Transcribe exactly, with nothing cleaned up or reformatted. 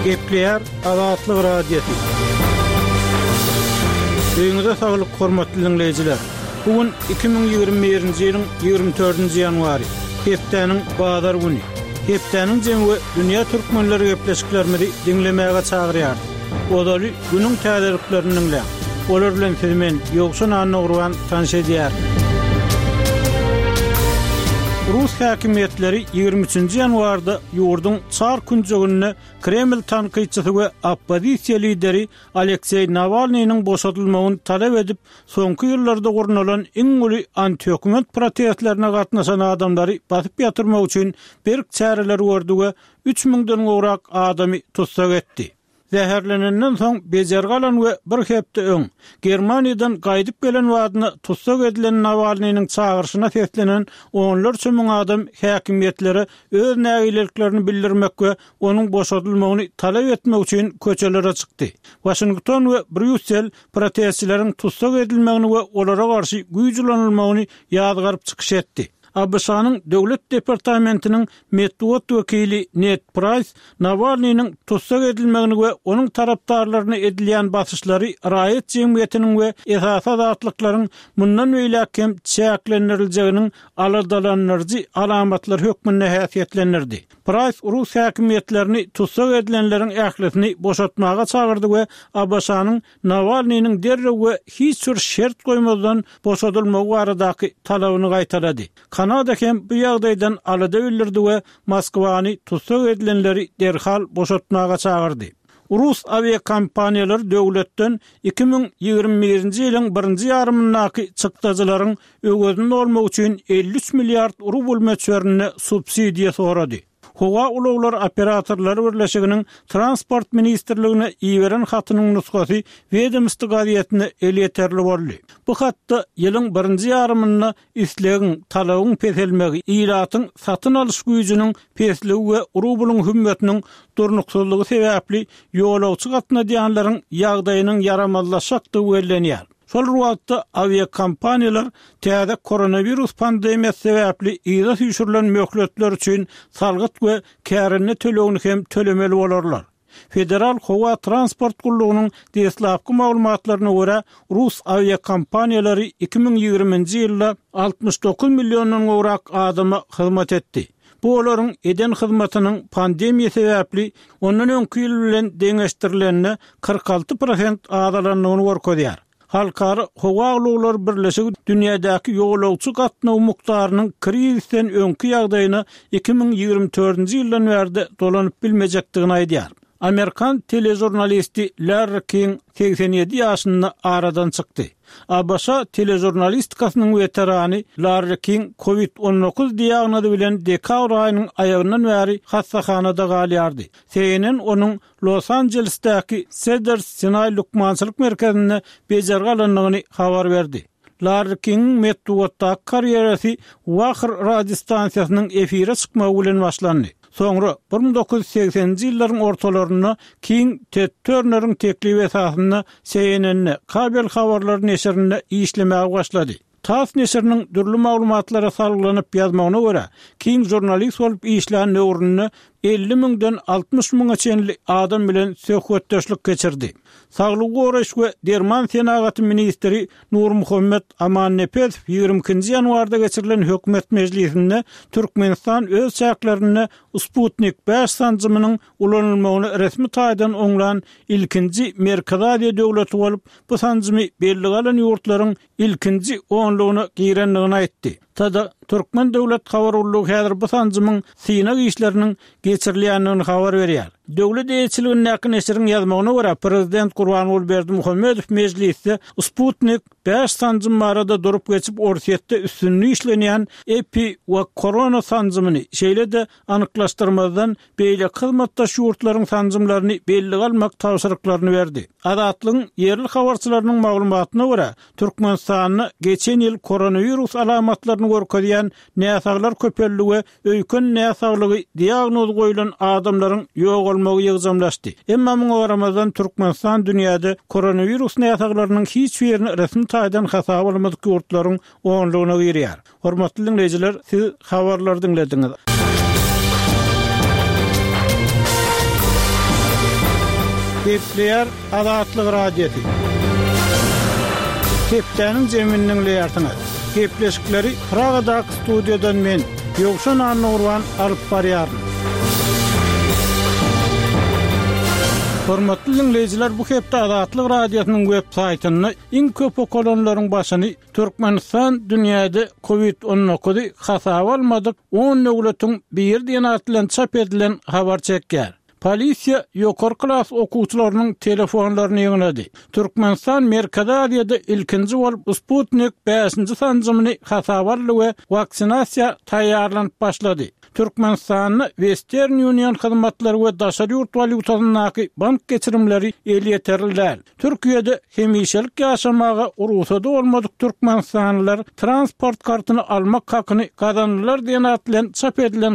Gepleýär Azatlyk Radiosy. Öýüňize saglyk, hormatly dinleýjiler. Bu gün iki müň ýigrimi birinji ýylyň ýigrimi dördünji ýanwary, hepdäniň bazar güni. Hepdäniň jemi we dünýä türkmenleri gepleşiklerimizi diňlemäge çagyrýar. Ozaly günüň täzeliklerini diňläň. Olar bilen sizi men Ýowşan Annagurban tanyş edýär. Rus häkimiýetleri ýigrimi üçünji ýanwarda ýurduň çar künjeginde Kreml tankytçysy we oppozisiýa lideri Alekseý Nawalnynyň boşadylmagyny talap edip, soňky ýyllarda gurnalan iň uly antihökümet protestlerine gatnaşan adamlary basyp ýatyrmak üçin berk çäreler gördi we üç müňden gowrak adamy tussag etdi. Zäherlenenden soň bejergi alan we bir hepde öň Germaniýadan gaýdyp gelen badyna tussag edilen Nawalnynyň çagyryşyna seslenen onlarça müň adam häkimiýetlere öz nägileliklerini bildirmek we onuň boşadylmagyny talap etmek üçin köçelere çykdy. Waşington we Brýussel protestçileriň tussag edilmegini we olara garşy güýç ulanylmagyny ýazgaryp çykyş etdi. A B Ş-nyň Döwlet departamentiniň metbugat wekili Ned Price Nawalnynyň tussag edilmegini we onuň tarapdarlaryna edilýän basyşlary raýat jemgyýetiniň we esasy azatlyklaryň mundan beýläk hem çäklendiriljeginiň aladalandyryjy alamatlar hökmünde häsiýetlendirdi. Price Rus häkimiýetlerini tussag edilenleriň ählisini boşatmaga çagyrdy we A B Ş-nyň Nawalnynyň derrew we hiç bir şert goýmazdan boşadylmagy baradaky talabyny gaýtalady. Kanada hem bu ýagdaýdan alada bildirdi we Moskwany tussag edilenleri derhal boşatmaga çagyrdy. Rus awiakompaniýalary döwletden iki müň ýigrimi birinji ýylyň birinji ýarymyndaky çykdajylaryň öwezini dolmak üçin elli üç milliard rubl möçberinde subsidiýa sorady. Howa ulaglar operatorlary birleşiginiň Transport ministrligine iberen hatynyň nusgasy Wedomsti gazetine elýeterli boldy. Bu hatda ýylyň birinji ýarymynda islegiň, talabyň peselmegi, ilatyň satyn alyş güýjüniň pesligi we rublyň hümmetiniň durnuksyzlygy sebäpli ýolagçy gatnadýanlaryň ýagdaýynyň ýaramazlaşjakdygy bellenýär. Şol wagtda awiakompaniýalar täze koronawirus pandemiýasy sebäpli yza süýşürilen möhletler üçin salgyt we kärende tölegini hem tölemeli bolarlar. Federal Howa Transport Gullugynyň deslapky maglumatlaryna görä, Rus awiakompaniýalary iki müň ýigriminji ýylda altmyş dokuz milliondan gowrak adama hyzmat etdi. Bu olaryň eden hyzmatynyň pandemiýa sebäpli ondan öňki ýyl bilen deňeşdirilende kyrk alty prosent azalandygyny görkezýär. Halkara Howa Ulaglary Birleşigi dünýädäki ýolagçy gatnaw mukdarynyň krizisden öňki ýagdaýyna iki müň ýigrimi dördünji ýyldan bärde dolanyp bilmejekdigini aýdýar. Amerikan teležurnalisti Larry King segsen ýedi ýaşynda aradan çykdy. A B Ş teležurnalistikasynyň weterany Larry King kovid on dokuz diagnozy bilen dekabr aýynyň aýagyndan bäri hassahanada galýardy. C N N onuň Los Angelesdäki Cedars-Sinai lukmançylyk merkezinde bejergi alandygyny habar berdi. Larry Kingiň metbugatdaky karýerasy Wahr radiostansiýasynyň efire çykmagy bilen başlandy. Soňra bir müň dokuz ýüz segseninji ýyllaryň ortalarynda King Ted Turneriň teklibi esasynda C N N-de kabel habarlary neşirinde işlemäge başlady. TASS neşiriniň dürli maglumatlara salgylanyp ýazmagyna görä, King žurnalist bolup işlän döwründe elli müňden altmyş müňe çenli adam bilen söhbetdeşlik geçirdi. Saglygy goraýyş we derman senagaty ministri Nurmuhammet Amannepesow ýigrimi ikinji ýanwarda geçirilen hökümet mejlisinde Türkmenistan öz çäklerinde Sputnik bäş sanjymynyň ulanylmagyny resmi taýdan oňlan ilkinji Merkezi Aziýa döwleti bolup, bu sanjymy belli galan ýurtlaryň ilkinji onlugyna girendigini aýtdy. Tada Türkmen döwlet habar gullugy häzir bu sanjymyň synag işleriniň geçirilýändigini habar berýär. Döwlet eýeçiligindäki neşiriň ýazmagyna görä, prezident Gurbanguly Berdimuhamedow mejlisde Sputnik bäş sanjym barada durup geçip, Orsýetde üstünde işlenýän epi we korona sanjymyny, şeýle-de anyklaşdyrmazdan beýleki hyzmatdaş ýurtlaryň sanjymlaryny bellige almak tabşyryklaryny berdi. Azatlygyň ýerli habarçylarynyň maglumatyna görä, Türkmenistanda geçen ýyl koronawirus alamatlaryny görkezýän näsaglar köpeldi we öýken näsaglygy diagnoz goýlan adamlaryň ýogalmagy ýygjamlaşdy. Emma muňa garamazdan Türkmenistan dünýäde koronawirus näsaglarynyň hiç birini resmi taýdan hasaba almadyk ýurtlaryň onlugyna girýär. Hormatly dinleýjiler, siz habarlary diňlediňiz. Gepleýär Azatlyk Radiosy. Hepdäniň jemini diňleýärsiňiz. Gepleşikleri Pragadaky studiýadan men, Ýowşan Annagurban alyp barýaryn. Hormatly diňleýjiler, bu hepde Azatlyk Radiosynyň web saýtynda iň köp okalanlaryň başyny Türkmenistan dünýäde Covid on dokuzy hasaba almadyk on döwletiň biri diýen at bilen çap edilen habar çekýär. Polisiýa ýokary klas okuwçylarynyň telefonlaryny ýygnady. Türkmenistan Merkezi Aziýada ilkinji bolup Sputnik bäşinji sanjymyny hasaba aldy we waksinasiýa taýýarlanyp başlady. Türkmenistanda Western Union hyzmatlary we daşary ýurt walýutasyndaky bank geçirimleri elýeterli däl. Türkiýede hemişelik ýaşamaga rugsady bolmadyk türkmenistanlylar transport kartyny almak hakyny gazandylar diýen at bilen çap edilen